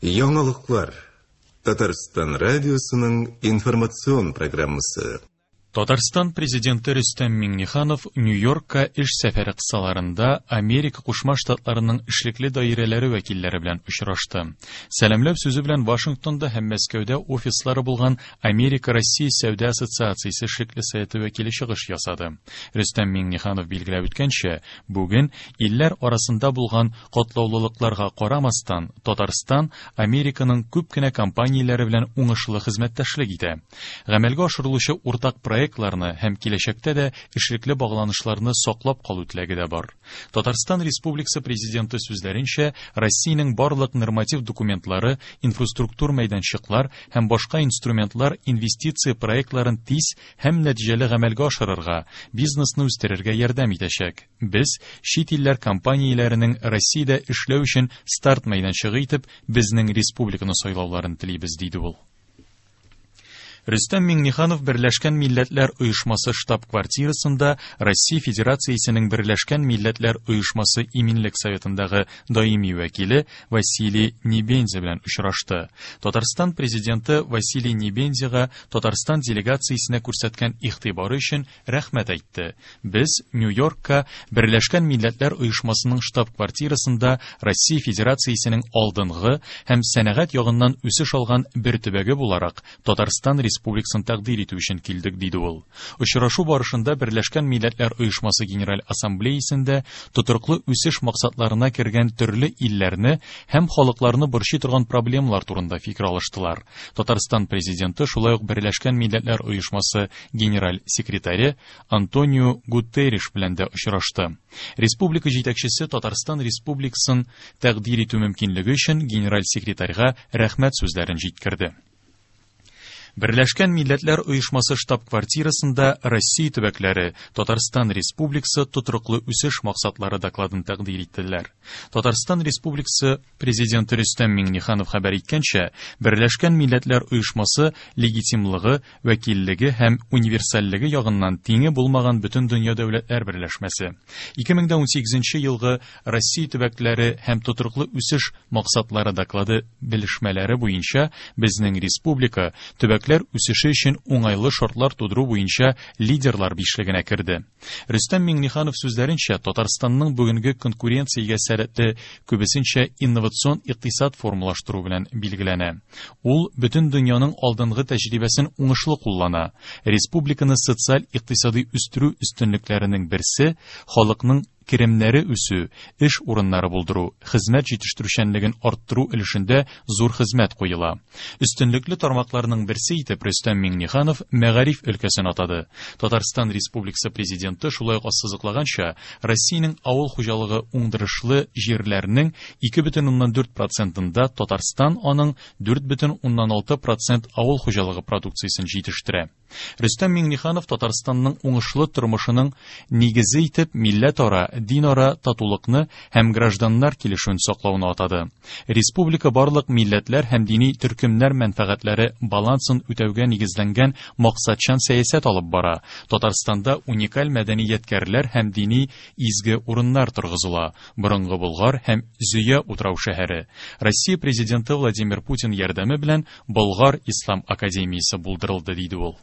Яңалыклар. Татарстан радиосының информацион программасы. Татарстан Президенты Рөстәм Миңнеханов Нью-Йоркка эш сәфәре кысаларында Америка Кушма Штатларының эшлекле даирәләре вәкилләре белән очрашты. Сәламләү сүзе белән Вашингтонда һәм Мәскәүдә офислары булган Америка-Россия сәүдә ассоциациясе эшлекле советы вәкиле чыгыш ясады. Рөстәм Миңнеханов билгеләп үткәнчә, бүген илләр арасында булган Катлаулылыкларга карамастан, Татарстан Американың күп кенә компанияләре белән уңышлы хезмәттәшлек итә. Гамәлгә ашырылучы уртак проектларны һәм киләчәктә дә эшлекле багланышларны саклап калу теләге дә бар. Татарстан Республикасы Президенты сүзләренчә, Россиянең барлык норматив документлары, инфраструктур мәйданчыклар һәм башка инструментлар инвестиция проектларын тиз һәм нәтиҗәле гамәлгә ашырырга, бизнесны үстерергә ярдәм итәчәк. Без, чит илләр компанияләренең Россиядә эшләү өчен старт мәйданчыгы итеп, безнең республиканы сайлауларын телибез, диде ул. Рөстәм Миңнеханов Берләшкән Милләтләр Оешмасы штаб-квартирасында Россия Федерациясенең Берләшкән Милләтләр Оешмасы Иминлек Советындагы даими вәкиле Василий Небензя белән очрашты. Татарстан Президенты Василий Небензяга Татарстан делегациясенә күрсәткән игътибары өчен рәхмәт әйтте. Без Нью-Йоркка Берләшкән Милләтләр Оешмасының штаб-квартирасында Россия Федерациясенең алдынгы һәм сәнәгать ягыннан үсеш алган бер төбәге буларак Татарстан Республикасын тәкъдир итү өчен килдек, диде ул. Очрашу барышында Берләшкән Милләтләр Оешмасы Генераль Ассамблеясендә тотрыклы үсеш максатларына кергән төрле илләрне һәм халыкларны борчый торган проблемалар турында фикер алыштылар. Татарстан Президенты шулай ук Берләшкән Милләтләр Оешмасы Генераль секретаре Антонио Гутерриш белән дә очрашты. Республика җитәкчесе Татарстан Республикасын тәкъдир итү мөмкинлеге өчен генераль секретарьга рәхмәт сүзләрен җиткерде. Берләшкән Милләтләр Оешмасы штаб-квартирасында Россия төбәкләре, Татарстан Республикасы тотрыклы үсеш максатлары докладын тәкъдир иттеләр. Татарстан Республикасы Президенты Рөстәм Миңнеханов хәбәр иткәнчә, Берләшкән Милләтләр Оешмасы легитимлыгы, вәкиллеге һәм универсальлеге ягыннан тиңе булмаган бөтендөнья дәүләтләр берләшмәсе. 2018 елгы Россия төбәкләре һәм тотрыклы үсеш максатлары доклады белешмәләре буенча безнең республика төбәкләр үсеше өчен уңайлы шартлар тудыру буенча лидерлар бишлегенә керде. Рөстәм Миңнеханов сүзләренчә, Татарстанның бүгенге конкуренциягә сәләтле күбесенчә инновацион икътисад формалаштыру белән билгеләнә. Ул бөтен дөньяның алдынгы тәҗрибәсен уңышлы куллана. Республиканы социаль-икътисадый үстерү өстенлекләренең берсе, халыкның керемнәре үсү, эш урыннары булдыру, хезмәт җитештерүчәнлеген арттыру өлешендә зур хезмәт куела. Өстенлекле тармакларның берсе итеп Рөстәм Миңнеханов мәгариф өлкәсен атады. Татарстан Республикасы Президенты шулай ук ассызыклаганча, Россиянең авыл хуҗалыгы уңдырышлы җирләренең 2,4 процентында Татарстан аның 4,6 процент авыл хуҗалыгы продукциясен җитештерә. Рөстәм Миңнеханов Татарстанның уңышлы тормышының нигезе итеп милләтара, динара татулыкны һәм гражданнар килешүен саклауны атады. Республика барлык милләтләр һәм дини төркемнәр мәнфәгатьләре балансын үтәүгә нигезләнгән максатчан сәясәт алып бара. Татарстанда уникаль мәдәни ядкәрләр һәм дини изге урыннар торгызыла, Борынгы Болгар һәм Зөя утрау-шәһәре. Россия Президенты Владимир Путин ярдәме белән Болгар ислам академиясе булдырылды, диде ул.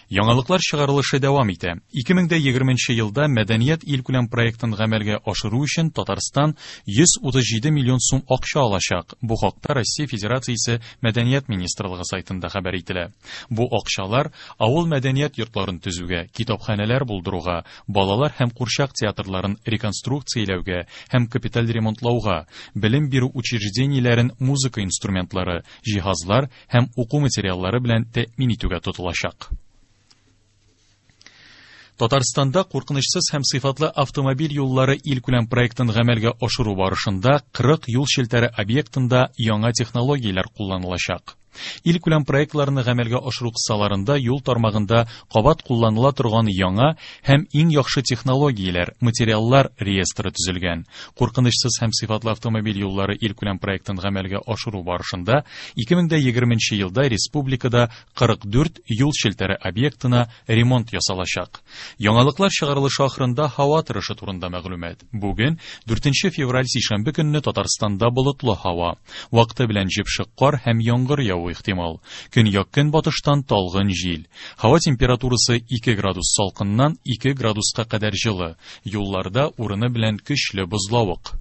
Яңалыклар чыгарылышы дәвам итә. 2020 елда Мәдәният илкүләм проектын гамәлгә ашыру өчен Татарстан 137 миллион сум акча алачак. Бу хакта Россия Федерациясе Мәдәният министрлыгы сайтында хәбәр ителә. Бу акчалар авыл мәдәният йортларын төзүгә, китапханәләр булдыруга, балалар һәм курчак театрларын реконструкцияләүгә һәм капиталь ремонтлауга, белем бирү учреждениеләрен музыка инструментлары, җиһазлар һәм уку материаллары белән тәэмин итүгә тотылачак. Татарстанда куркынычсыз һәм сыйфатлы автомобиль юллары илкүләм проектын гамәлгә ашыру барышында 40 юл челтәре объектында яңа технологияләр кулланылачак. Илкүләм проектларны гамәлгә ашыру кысаларында юл тармагында кабат кулланыла торган яңа һәм иң яхшы технологияләр, материаллар реестры төзелгән. Куркынычсыз һәм сыйфатлы автомобиль юллары илкүләм проектын гамәлгә ашыру барышында 2020 елда республикада 44 юл челтәре объектына ремонт ясалачак. Яңалыклар чыгарылышы ахырында һава торышы турында мәгълүмат. Бүген, 4 февраль сишәмбе көнне Татарстанда болытлы һава. Вакыты белән җепшек кар һәм яңгыр явуы ихтимал. Көньяк-көнбатыштан талгын җил. Һава температурасы 2 градус салкыннан 2 градуска кадәр җылы. Юлларда урыны белән көчле бозлавык.